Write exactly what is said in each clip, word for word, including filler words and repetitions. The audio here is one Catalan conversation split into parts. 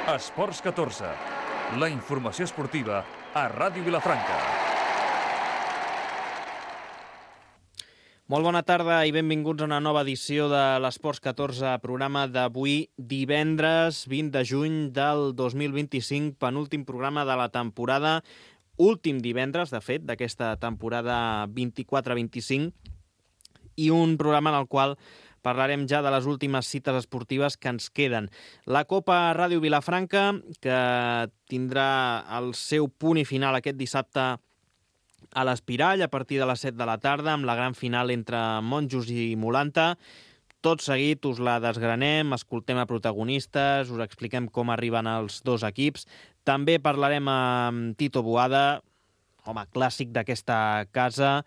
Esports catorze, la informació esportiva a Ràdio Vilafranca. Molt bona tarda i benvinguts a una nova edició de l'Esports catorze, programa d'avui divendres vint de juny del dos mil vint-i-cinc, penúltim programa de la temporada, últim divendres, de fet, d'aquesta temporada vint-i-quatre vint-i-cinc, i un programa en el qual parlarem ja de les últimes cites esportives que ens queden. La Copa Ràdio Vilafranca, que tindrà el seu punt i final aquest dissabte a l'Espirall, a partir de les set de la tarda, amb la gran final entre Monjos i Mulanta. Tot seguit us la desgranem, escoltem a protagonistes, us expliquem com arriben els dos equips. També parlarem amb Tito Boada, home, clàssic d'aquesta casa,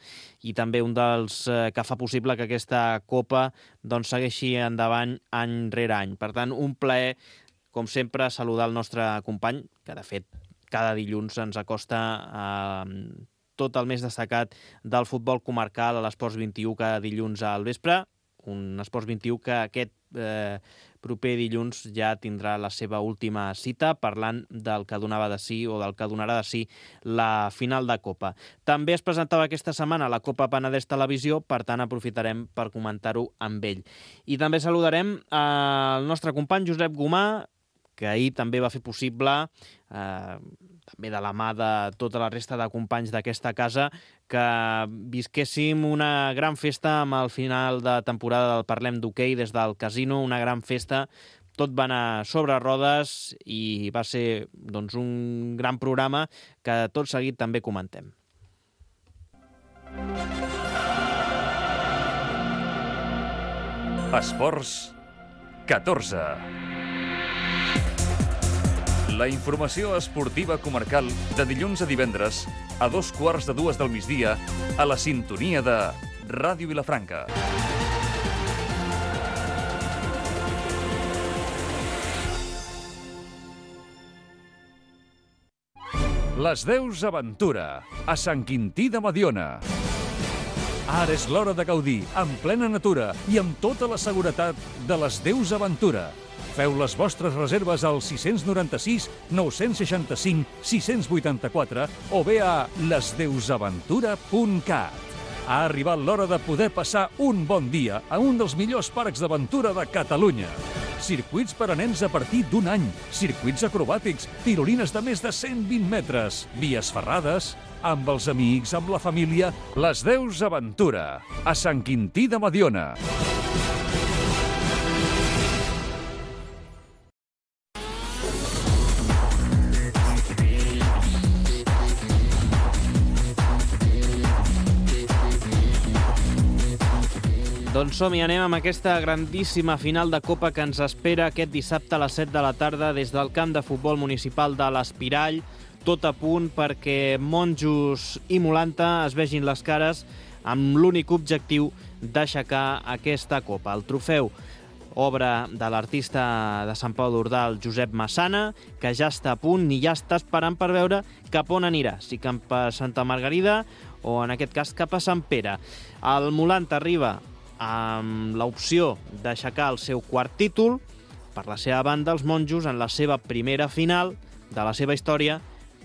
i també un dels eh, que fa possible que aquesta Copa doncs, segueixi endavant any rere any. Per tant, un plaer, com sempre, saludar el nostre company, que de fet cada dilluns ens acosta a eh, tot el més destacat del futbol comarcal a l'Esports vint-i-u cada dilluns al vespre. Un Esports vint-i-u que aquest eh, proper dilluns ja tindrà la seva última cita parlant del que donava de sí o del que donarà de sí la final de Copa. També es presentava aquesta setmana la Copa Penedès Televisió, per tant aprofitarem per comentar-ho amb ell. I també saludarem el nostre company Josep Gomà, que ahir també va fer possible, eh, també de la mà de tota la resta de companys d'aquesta casa, que visquéssim una gran festa amb el final de temporada del Parlem d'Hoquei des del casino, una gran festa, tot va anar sobre rodes i va ser doncs, un gran programa que tot seguit també comentem. Esports catorze. La informació esportiva comarcal de dilluns a divendres a dos quarts de dues del migdia a la sintonia de Ràdio Vilafranca. Les Deus Aventura, a Sant Quintí de Mediona. Ara és l'hora de gaudir, en plena natura i amb tota la seguretat de les Deus Aventura. Feu les vostres reserves al sis nou sis, nou seixanta cinc, sis vuitanta-quatre o bé a les deus aventura punt cat. Ha arribat l'hora de poder passar un bon dia a un dels millors parcs d'aventura de Catalunya. Circuits per a nens a partir d'un any, circuits acrobàtics, tirolines de més de cent vint metres, vies ferrades, amb els amics, amb la família. Les Deus Aventura, a Sant Quintí de Mediona. Doncs som i anem amb aquesta grandíssima final de Copa que ens espera aquest dissabte a les set de la tarda des del camp de futbol municipal de l'Espirall. Tot a punt perquè Monjos i Mulanta es vegin les cares amb l'únic objectiu d'aixecar aquesta Copa. El trofeu, obra de l'artista de Sant Pau d'Ordal, Josep Massana, que ja està a punt i ja està esperant per veure cap on anirà, si cap a Santa Margarida o en aquest cas cap a Sant Pere. El Mulanta arriba amb l'opció d'aixecar el seu quart títol. Per la seva banda, els Monjos, en la seva primera final de la seva història,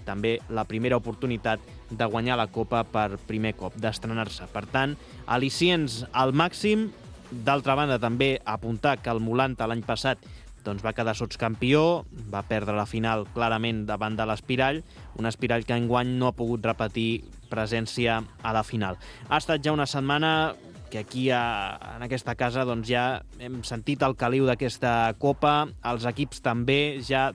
també la primera oportunitat de guanyar la Copa per primer cop, d'estrenar-se. Per tant, al·licients al màxim. D'altra banda, també apuntar que el Mulanta l'any passat doncs, va quedar sotscampió, va perdre la final clarament davant de l'Espirall, un Espirall que enguany no ha pogut repetir presència a la final. Ha estat ja una setmana que aquí a, en aquesta casa doncs, ja hem sentit el caliu d'aquesta Copa, els equips també, ja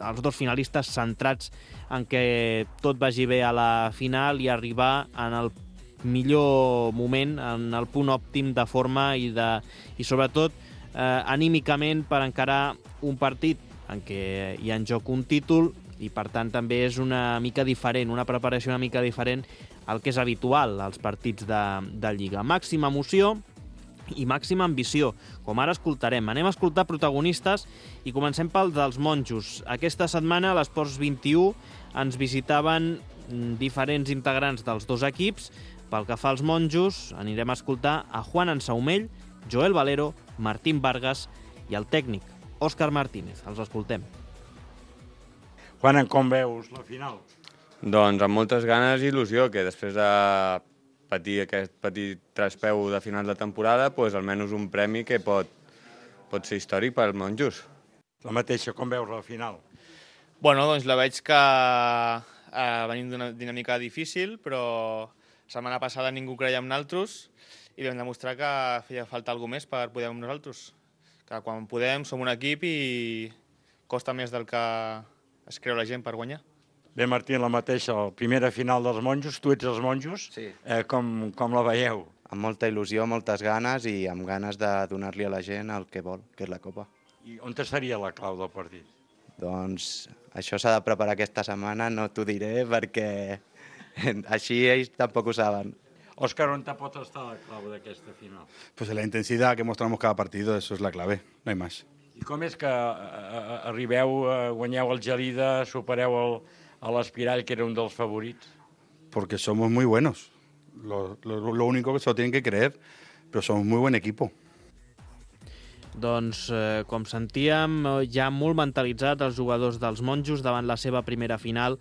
els dos finalistes centrats en que tot vagi bé a la final i arribar en el millor moment, en el punt òptim de forma i, de, i sobretot eh, anímicament per encarar un partit en què hi ha en joc un títol i per tant també és una mica diferent, una preparació una mica diferent al que és habitual als partits de, de Lliga. Màxima emoció i màxima ambició, com ara escoltarem. Anem a escoltar protagonistes i comencem pel dels Monjos. Aquesta setmana a l'Esports vint-i-u ens visitaven diferents integrants dels dos equips. Pel que fa als Monjos, anirem a escoltar a Juan Ansaumell, Joel Valero, Martín Vargas i el tècnic, Òscar Martínez. Els escoltem. Juan, com veus la final? Doncs amb moltes ganes i il·lusió, que després de patir aquest petit traspeu de final de temporada, doncs almenys un premi que pot, pot ser històric pels monjos. La mateixa, com veus la final? Bueno, doncs la veig que eh, venim d'una dinàmica difícil, però la setmana passada ningú creia en nosaltres i vam demostrar que feia falta alguna més per poder amb nosaltres. Que quan podem som un equip i costa més del que es creu la gent per guanyar. Bé, Martí, la mateixa, la primera final dels monjos, tu ets els monjos, sí. eh, com, com la veieu? Amb molta il·lusió, moltes ganes i amb ganes de donar-li a la gent el que vol, que és la Copa. I on seria la clau del partit? Doncs això s'ha de preparar aquesta setmana, no t'ho diré perquè així ells tampoc ho saben. Òscar, on pot estar la clau d'aquesta final? Pues en la intensidad que mostramos cada partido, eso es la clave, no hay más. I com és que eh, arribeu, eh, guanyeu el Gelida, supereu el, a l'Espirall, que era un dels favorits? Porque somos muy buenos. Lo, lo, lo único que se lo tienen que creer, pero somos muy buen equipo. Doncs, eh, com sentíem, ja molt mentalitzat els jugadors dels monjos davant la seva primera final.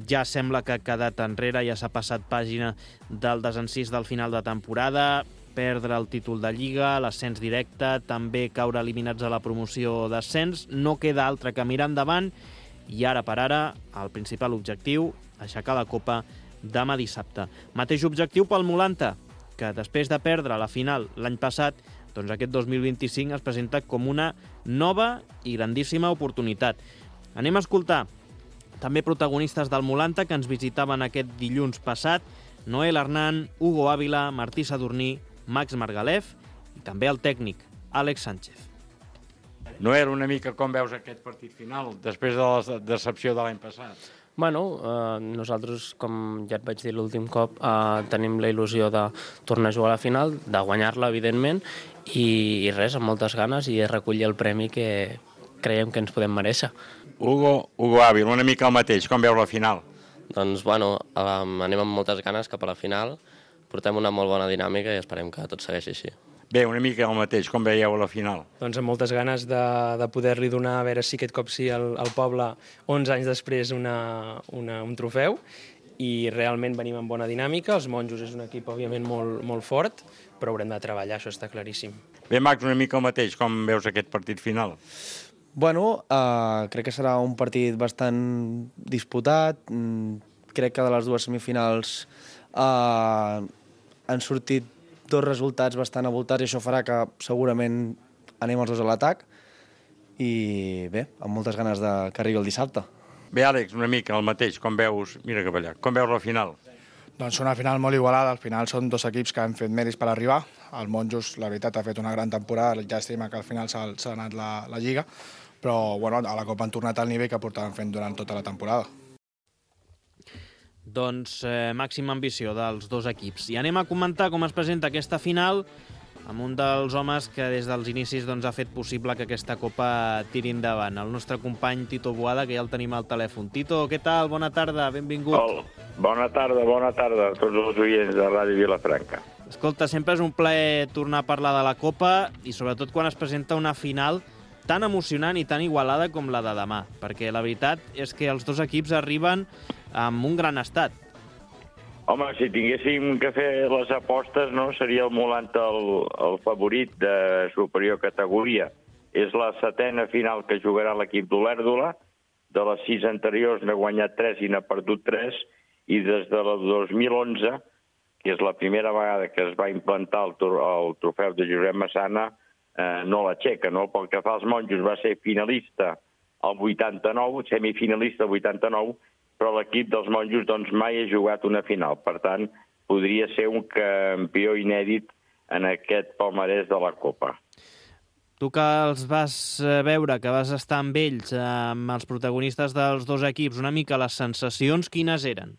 Ja sembla que ha quedat enrere, ja s'ha passat pàgina del desencís del final de temporada, perdre el títol de Lliga, l'ascens directe, també caure eliminats a la promoció d'ascens. No queda altre que mirar endavant i ara per ara el principal objectiu, aixecar la Copa demà dissabte. Mateix objectiu pel Molanta, que després de perdre la final l'any passat, doncs aquest dos mil vint-i-cinc es presenta com una nova i grandíssima oportunitat. Anem a escoltar també protagonistes del Molanta que ens visitaven aquest dilluns passat: Noel Hernán, Hugo Ávila, Martí Sadurní, Max Margalef i també el tècnic, Àlex Sánchez. Noel, una mica com veus aquest partit final, després de la decepció de l'any passat? Bueno, eh, nosaltres, com ja et vaig dir l'últim cop, eh, tenim la il·lusió de tornar a jugar a la final, de guanyar-la, evidentment, i, i res, amb moltes ganes, i recollir el premi que creiem que ens podem mereixer. Hugo, Hugo Ávila, una mica el mateix, com veus la final? Doncs, bueno, um, anem amb moltes ganes cap a la final, portem una molt bona dinàmica i esperem que tot segueixi així. Bé, una mica el mateix, com veieu la final? Doncs amb moltes ganes de, de poder-li donar, a veure si aquest cop sí, al, al poble, onze anys després, una, una, un trofeu, i realment venim amb bona dinàmica. Els monjos és un equip, òbviament, molt, molt fort, però haurem de treballar, això està claríssim. Bé, Max, una mica el mateix, com veus aquest partit final? Bueno, uh, crec que serà un partit bastant disputat. Mm, crec que de les dues semifinals uh, han sortit dos resultats bastant avoltats i això farà que segurament anem els dos a l'atac i bé, amb moltes ganes de que arribi el dissabte. Bé, Àlex, una mica el mateix, com veus, mira cap allà, com veus la final? Doncs una final molt igualada, al final són dos equips que han fet mèrits per arribar. El Monjos, la veritat, ha fet una gran temporada, llàstima que al final s'ha anat la, la Lliga, però bueno, a la Copa han tornat al nivell que portaven fent durant tota la temporada. Doncs eh, màxima ambició dels dos equips. I anem a comentar com es presenta aquesta final amb un dels homes que des dels inicis doncs, ha fet possible que aquesta Copa tiri endavant. El nostre company Tito Boada, que ja el tenim al telèfon. Tito, què tal? Bona tarda, benvingut. Oh, bona tarda, bona tarda a tots els oients de Ràdio Vilafranca. Escolta, sempre és un plaer tornar a parlar de la Copa i sobretot quan es presenta una final tan emocionant i tan igualada com la de demà, perquè la veritat és que els dos equips arriben amb un gran estat. Home, si tinguéssim que fer les apostes, no, seria el Molanta el, el favorit de superior categoria. És la setena final que jugarà l'equip d'Olèrdola. De les sis anteriors n'ha guanyat tres i n'ha perdut tres, i des de la dos mil onze, que és la primera vegada que es va implantar el, el trofeu de Josep Massana, eh, no l'aixeca, no? Pel que fa als monjos, va ser finalista al vuitanta-nou, semifinalista al vuitanta-nou, però l'equip dels monjos doncs, mai ha jugat una final. Per tant, podria ser un campió inèdit en aquest palmarès de la Copa. Tu que els vas veure, que vas estar amb ells, amb els protagonistes dels dos equips, una mica les sensacions, quines eren?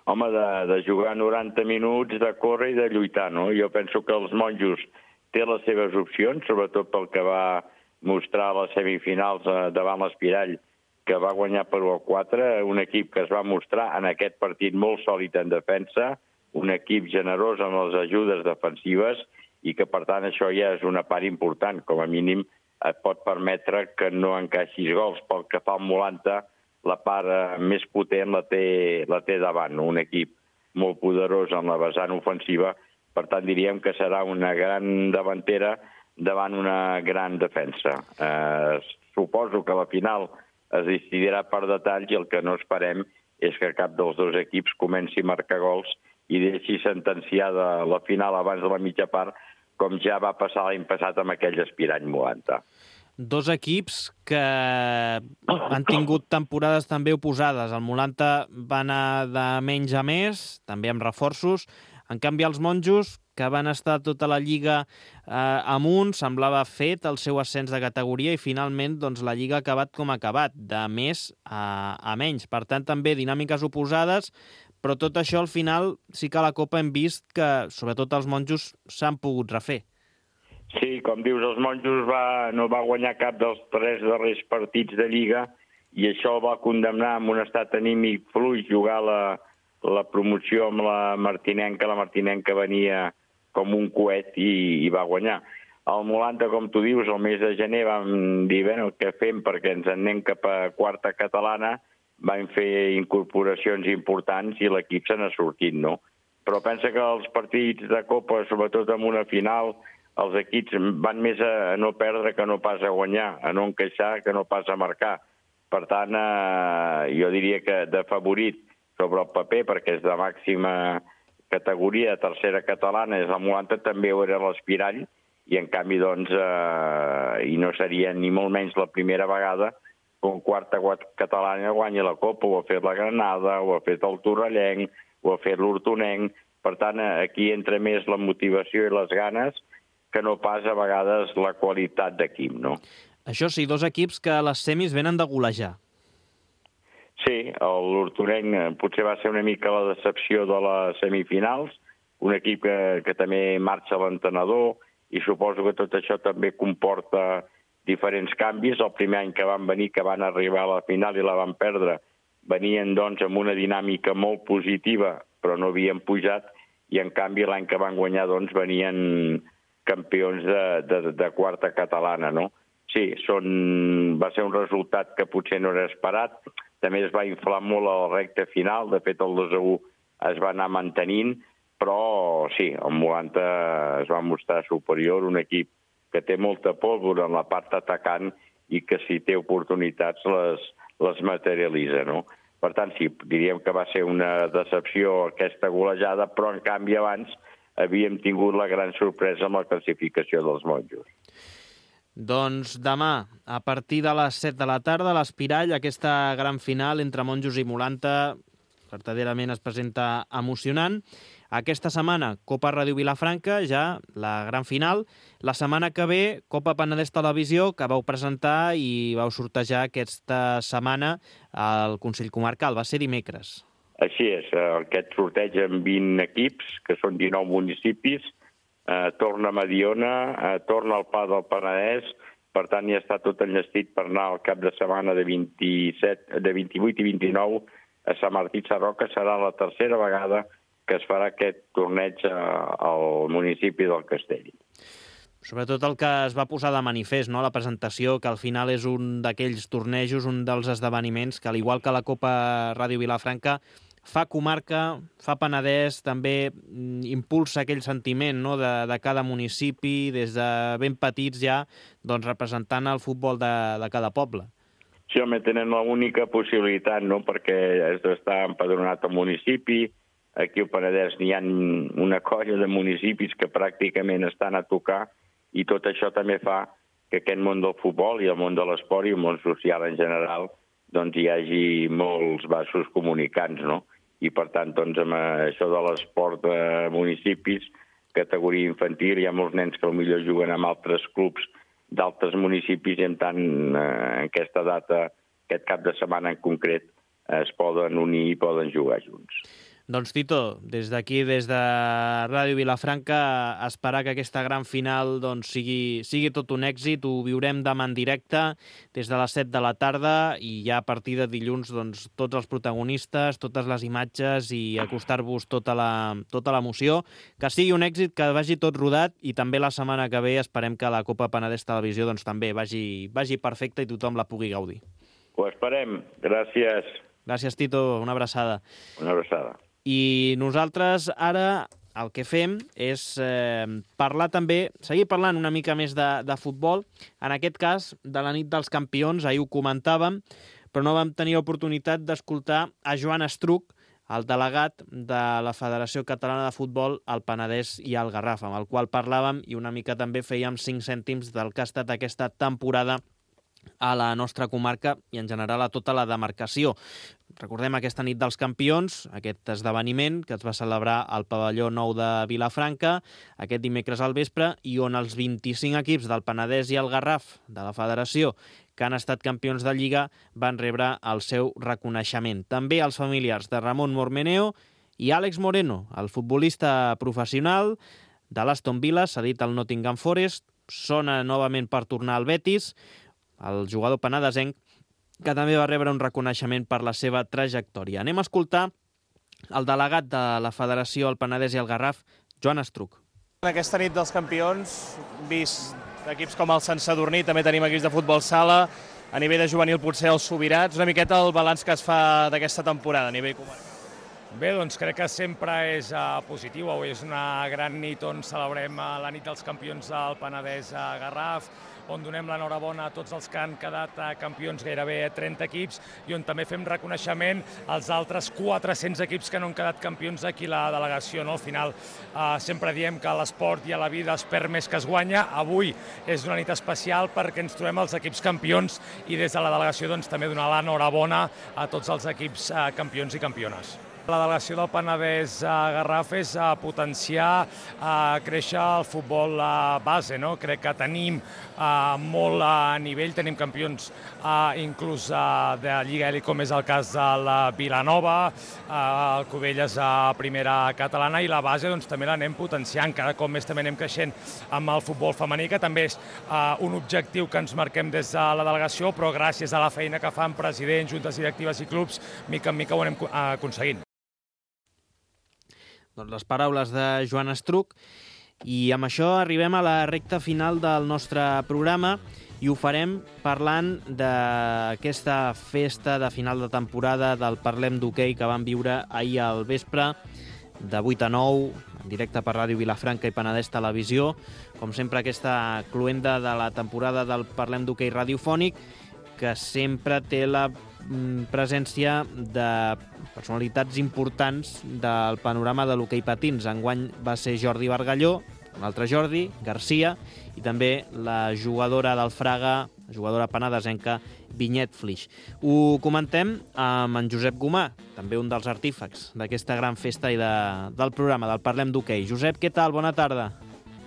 Home, de, de jugar noranta minuts, de córrer i de lluitar, no? Jo penso que els monjos té les seves opcions, sobretot pel que va mostrar a les semifinals davant l'Espirall, que va guanyar per u a quatre, un equip que es va mostrar en aquest partit molt sòlid en defensa, un equip generós en les ajudes defensives i que, per tant, això ja és una part important. Com a mínim, et pot permetre que no encaixis gols. Pel que fa al Molanta, la part eh, més potent la té, la té davant, no? Un equip molt poderós en la vessant ofensiva, per tant diríem que serà una gran davantera davant una gran defensa. Eh, suposo que la final es decidirà per detalls i el que no esperem és que cap dels dos equips comenci a marcar gols i deixi sentenciada la final abans de la mitja part, com ja va passar l'any passat amb aquell aspirant Molanta. Dos equips que han tingut temporades també oposades. El Molanta va anar de menys a més, també amb reforços. En canvi, els monjos, que van estar tota la Lliga eh, amunt, semblava fet el seu ascens de categoria i finalment doncs, la Lliga ha acabat com ha acabat, de més a, a menys. Per tant, també dinàmiques oposades, però tot això al final sí que a la Copa hem vist que, sobretot els monjos, s'han pogut refer. Sí, com dius, els monjos va, no va guanyar cap dels tres darrers partits de Lliga i això va condemnar amb un estat anímic fluix jugar la, la promoció amb la Martinenca. La Martinenca venia com un coet i, i va guanyar. El Molanta, com tu dius, el mes de gener vam dir, bueno, què fem perquè ens en anem cap a quarta catalana, vam fer incorporacions importants i l'equip se n'ha sortit, no? Però pensa que els partits de Copa, sobretot en una final, els equips van més a no perdre que no pas a guanyar, a no encaixar que no pas a marcar. Per tant, eh, jo diria que de favorit sobre el paper, perquè és de màxima categoria, tercera catalana, és el Molanta, també ho era l'Espirall, i en canvi, doncs, eh, i no seria ni molt menys la primera vegada que un quarta catalana guanya la Copa, ho ha fet la Granada, ho ha fet el Torrellenc, ho ha fet l'Hortonenc. Per tant, aquí entra més la motivació i les ganes que no pas a vegades la qualitat d'equip, no? Això sí, dos equips que a les semis venen de golejar. Sí, l'Hortonenc potser va ser una mica la decepció de les semifinals, un equip que, que també marxa l'entrenador i suposo que tot això també comporta diferents canvis. El primer any que van venir, que van arribar a la final i la van perdre, venien doncs amb una dinàmica molt positiva, però no havien pujat, i en canvi l'any que van guanyar doncs venien campions de, de, de quarta catalana, no? Sí, són, va ser un resultat que potser no era esperat, també es va inflar molt a la recta final, de fet el dos a u es va anar mantenint, però sí, el Molanta es va mostrar superior, un equip que té molta pólvora en la part atacant i que si té oportunitats les, les materialitza, no? Per tant, sí, diríem que va ser una decepció aquesta golejada, però en canvi abans havíem tingut la gran sorpresa amb la classificació dels monjos. Doncs demà, a partir de les set de la tarda, a l'Espirall, aquesta gran final entre monjos i Molanta verdaderament es presenta emocionant. Aquesta setmana, Copa Ràdio Vilafranca, ja la gran final. La setmana que ve, Copa Penedès Televisió, que vau presentar i vau sortejar aquesta setmana al Consell Comarcal. Va ser dimecres. Així és, aquest sorteig amb vint equips, que són dinou municipis, eh, torna a Mediona, eh, torna al Pla del Penedès, per tant ja està tot enllestit per anar al cap de setmana de, vint-i-set, de vint-i-vuit i vint-i-nou a Sant Martí Sarroca. Serà la tercera vegada que es farà aquest torneig al municipi del Castell. Sobretot el que es va posar de manifest, no? La presentació, que al final és un d'aquells tornejos, un dels esdeveniments que, al igual que la Copa Ràdio Vilafranca, fa comarca, fa Penedès, també impulsa aquell sentiment, no? de, de cada municipi, des de ben petits ja, doncs representant el futbol de, de cada poble. Sí, home, tenen l'única possibilitat, no? Perquè has d'estar empadronat al municipi. Aquí al Penedès n'hi ha una colla de municipis que pràcticament estan a tocar, i tot això també fa que aquest món del futbol i el món de l'esport i el món social en general doncs hi hagi molts vasos comunicants, no? I per tant, doncs, amb això de l'esport de municipis, categoria infantil, hi ha molts nens que potser juguen amb altres clubs d'altres municipis i en tant en aquesta data, aquest cap de setmana en concret, es poden unir i poden jugar junts. Doncs Tito, des d'aquí, des de Ràdio Vilafranca, esperar que aquesta gran final doncs, sigui, sigui tot un èxit. Ho viurem demà en directe des de les set de la tarda i ja a partir de dilluns doncs, tots els protagonistes, totes les imatges i acostar-vos tota la, tota l'emoció. Que sigui un èxit, que vagi tot rodat i també la setmana que ve esperem que la Copa Penedès Televisió doncs, també vagi, vagi perfecta i tothom la pugui gaudir. Ho esperem. Gràcies. Gràcies, Tito. Una abraçada. Una abraçada. I nosaltres ara el que fem és eh, parlar també, seguir parlant una mica més de, de futbol, en aquest cas de la nit dels campions, ahir ho comentàvem, però no vam tenir oportunitat d'escoltar a Joan Estruch, el delegat de la Federació Catalana de Futbol al Penedès i al Garraf, amb el qual parlàvem i una mica també fèiem cinc cèntims del que ha estat aquesta temporada a la nostra comarca i en general a tota la demarcació. Recordem aquesta nit dels campions, aquest esdeveniment que es va celebrar al pavelló nou de Vilafranca aquest dimecres al vespre i on els vint-i-cinc equips del Penedès i el Garraf de la Federació que han estat campions de Lliga van rebre el seu reconeixement. També els familiars de Ramon Mormeneo i Àlex Moreno, el futbolista professional de l'Aston Villa, cedit al Nottingham Forest, sona novament per tornar al Betis, el jugador penedesenc, que també va rebre un reconeixement per la seva trajectòria. Anem a escoltar el delegat de la Federació al Penedès i al Garraf, Joan Estruch. En aquesta nit dels campions, vist equips com el Sant Sadurní, també tenim equips de futbol sala, a nivell de juvenil potser els Sobirats, una miqueta el balanç que es fa d'aquesta temporada a nivell comarcal. Bé, doncs crec que sempre és uh, positiu. Avui és una gran nit on celebrem uh, la nit dels campions del Penedès a Garraf, on donem l'enhorabona a tots els que han quedat uh, campions, gairebé trenta equips, i on també fem reconeixement als altres quatre-cents equips que no han quedat campions aquí a la delegació. No? Al final uh, sempre diem que a l'esport i a la vida es perd més que es guanya. Avui és una nit especial perquè ens trobem els equips campions i des de la delegació doncs, també donar l'enhorabona a tots els equips uh, campions i campiones. La delegació del Penedès a Garraf és a potenciar, a créixer el futbol a base. No? Crec que tenim a, molt a nivell, tenim campions a, inclús a, de Lliga Elit, com és el cas de la Vilanova, a, el Cubelles a primera catalana, i la base doncs, també l'anem potenciant. Cada cop més també anem creixent amb el futbol femení, que també és a, un objectiu que ens marquem des de la delegació, però gràcies a la feina que fan presidents, juntes directives i clubs, mica en mica ho anem aconseguint. Doncs les paraules de Joan Estruch, i amb això arribem a la recta final del nostre programa i ho farem parlant d'aquesta festa de final de temporada del Parlem d'Hoquei que vam viure ahir al vespre, de vuit a nou, en directe per Ràdio Vilafranca i Penedès Televisió. Com sempre, aquesta cloenda de la temporada del Parlem d'Hoquei radiofònic, que sempre té la presència de personalitats importants del panorama de l'hoquei patins. Enguany va ser Jordi Bargalló, un altre Jordi, Garcia, i també la jugadora del Fraga, la jugadora penedesenca, Vinyet Flix. Ho comentem amb en Josep Gomà, també un dels artífecs d'aquesta gran festa i de, del programa, del Parlem d'Hoquei. Josep, què tal? Bona tarda.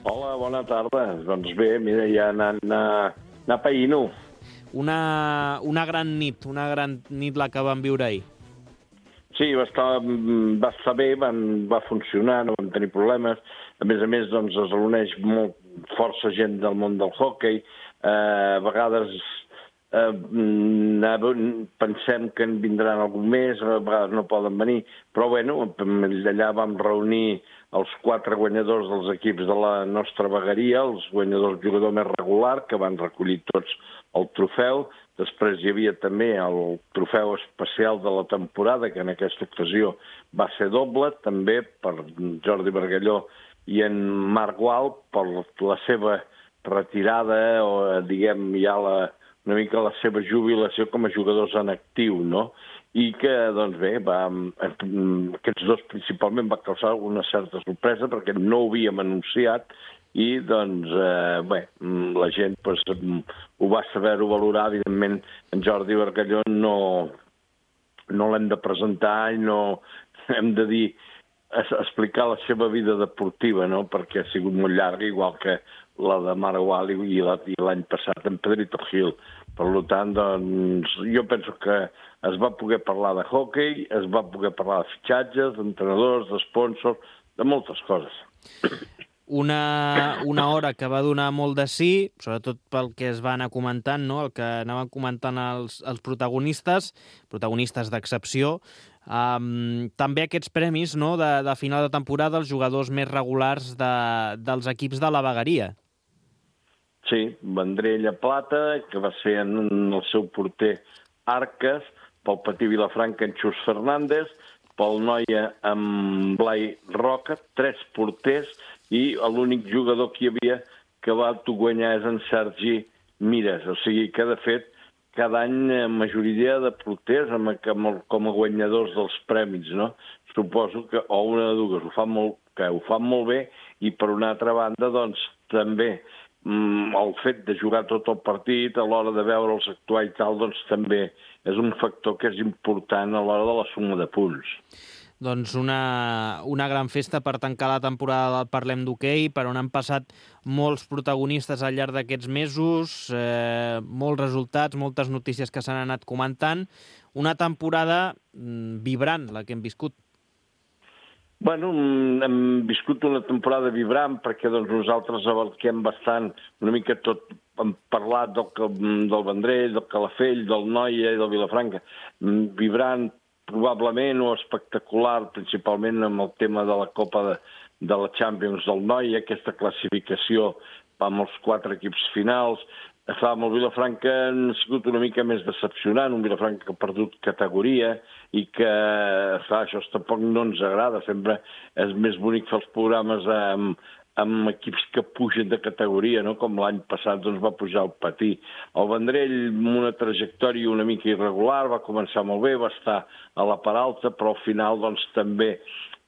Hola, bona tarda. Doncs bé, mira, ja anant a, anar païno. Una, una gran nit, una gran nit la que vam viure ahir. Sí, va estar, va estar bé, van, va funcionar, no vam tenir problemes. A més a més, doncs, es reuneix molt, força gent del món del hoquei. Eh, a vegades eh, pensem que en vindran algun més, a vegades no poden venir, però bueno, allà vam reunir els quatre guanyadors dels equips de la nostra vegueria, els guanyadors jugador més regular, que van recollir tots el trofeu. Després hi havia també el trofeu especial de la temporada, que en aquesta ocasió va ser doble, també per Jordi Bargalló i en Marc Gual, per la seva retirada, o diguem ja la, una mica la seva jubilació com a jugadors en actiu, no? I que, doncs bé, va, aquests dos principalment va causar una certa sorpresa perquè no ho havíem anunciat i, doncs, eh, bé, la gent pues, ho va saber-ho valorar. Evidentment, en Jordi Bargalló no, no l'hem de presentar i no hem de dir, explicar la seva vida deportiva, no? Perquè ha sigut molt llarga, igual que la de Marc Gual i l'any passat en Pedrito Gil. Per tant, doncs, jo penso que es va poder parlar de hoquei, es va poder parlar de fitxatges, d'entrenadors, d'esponsors, de moltes coses. Una, una hora que va donar molt de sí, sobretot pel que es va anar comentant, no? El que anaven comentant els, els protagonistes, protagonistes d'excepció. Um, també aquests premis, no? de, de final de temporada, els jugadors més regulars de, dels equips de la vegueria. Sí, Vendrell a plata, que va ser en el seu porter Arques, pel Patí Vilafranca en Xus Fernández, pel Noia amb Blai Roca, tres porters, i l'únic jugador que hi havia que va guanyar és en Sergi Mires. O sigui que, de fet, cada any majoria de porters com a guanyadors dels premis, no? Suposo que, o una de dues, ho fan molt, que ho fan molt bé, i per una altra banda, doncs, també el fet de jugar tot el partit, a l'hora de veure'ls actuar i tal, doncs també és un factor que és important a l'hora de la suma de punts. Doncs una, una gran festa per tancar la temporada del Parlem d'Hoquei, per on han passat molts protagonistes al llarg d'aquests mesos, eh, molts resultats, moltes notícies que s'han anat comentant. Una temporada mm, vibrant, la que hem viscut. Bueno, hem viscut una temporada vibrant perquè doncs, nosaltres abarquem bastant, una mica tot, hem parlat del, del Vendrell, del Calafell, del Noia i del Vilafranca. Vibrant, probablement, o espectacular, principalment amb el tema de la Copa de, de la Champions del Noia, aquesta classificació amb els quatre equips finals. Amb el Vilafranca ha sigut una mica més decepcionant, un Vilafranca que ha perdut categoria i que, clar, això tampoc no ens agrada. Sempre és més bonic fer els programes amb, amb equips que pugen de categoria, no? Com l'any passat doncs, va pujar al Patí. El Vendrell, amb una trajectòria una mica irregular, va començar molt bé, va estar a la part alta, però al final doncs, també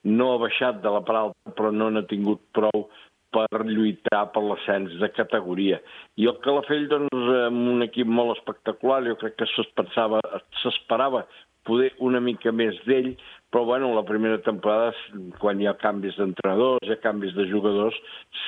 no ha baixat de la part alta, però no n'ha tingut prou per lluitar per l'ascens de categoria. I el Calafell, doncs, amb un equip molt espectacular, jo crec que s'esperava poder una mica més d'ell, però, bueno, la primera temporada, quan hi ha canvis d'entrenadors, hi ha canvis de jugadors,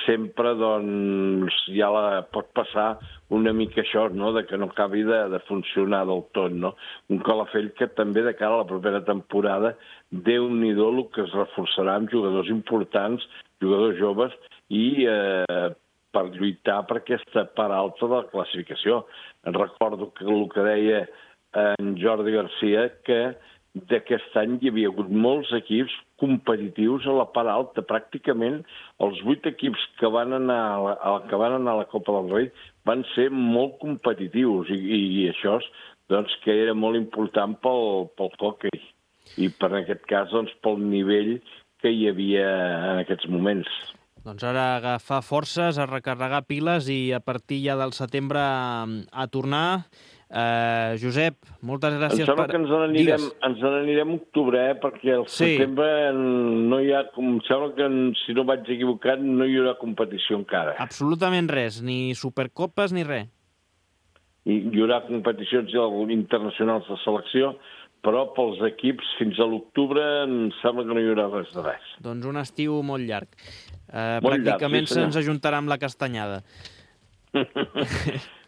sempre, doncs, ja la pot passar una mica això, no?, de que no acabi de, de funcionar del tot, no? Un Calafell que també, de cara a la propera temporada, Déu-n'hi-do el que es reforçarà amb jugadors importants, jugadors joves, i eh, per lluitar per aquesta part alta de la classificació. Recordo que el que deia en Jordi Garcia, que d'aquest any hi havia hagut molts equips competitius a la part alta. Pràcticament els vuit equips que van anar a la, a la, que van anar a la Copa del Rei van ser molt competitius i, i, i això doncs, que era molt important pel, pel hoquei i per en aquest cas doncs, pel nivell que hi havia en aquests moments. Doncs ara agafar forces, a recarregar piles i a partir ja del setembre a, a tornar. Uh, Josep, moltes gràcies. Em sembla per... que ens n'anirem ens n'anirem a octubre, eh? Perquè al sí. setembre no hi ha... Em sembla que, si no vaig equivocat, no hi haurà competició encara. Absolutament res, ni supercopes ni res. I hi haurà competicions internacionals de selecció, però pels equips fins a l'octubre em sembla que no hi haurà res de res. Doncs un estiu molt llarg. Uh, molt pràcticament llarg, sí, se'ns ajuntarà amb la castanyada.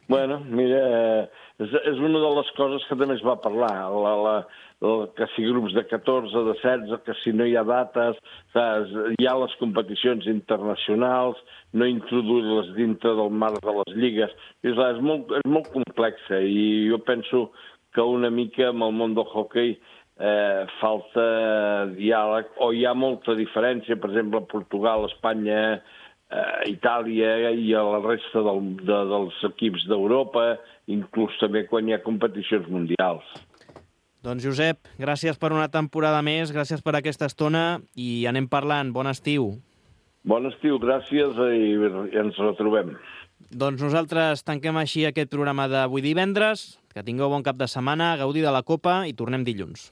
Bueno, mira, és, és una de les coses que també es va parlar, la, la, la, que si grups de catorze, de setze, que si no hi ha dates, saps? Hi ha les competicions internacionals, no introduir-les dintre del marc de les lligues. És, és, molt, és molt complexa i jo penso que una mica amb el món del hoquei eh, falta diàleg, o hi ha molta diferència, per exemple, a Portugal, Espanya, eh, Itàlia i a la resta del, de, dels equips d'Europa, inclús també quan hi ha competicions mundials. Doncs Josep, gràcies per una temporada més, gràcies per aquesta estona i anem parlant. Bon estiu. Bon estiu, gràcies i, i ens retrobem. Doncs nosaltres tanquem així aquest programa d'avui divendres. Que tingueu bon cap de setmana, gaudir de la Copa i tornem dilluns.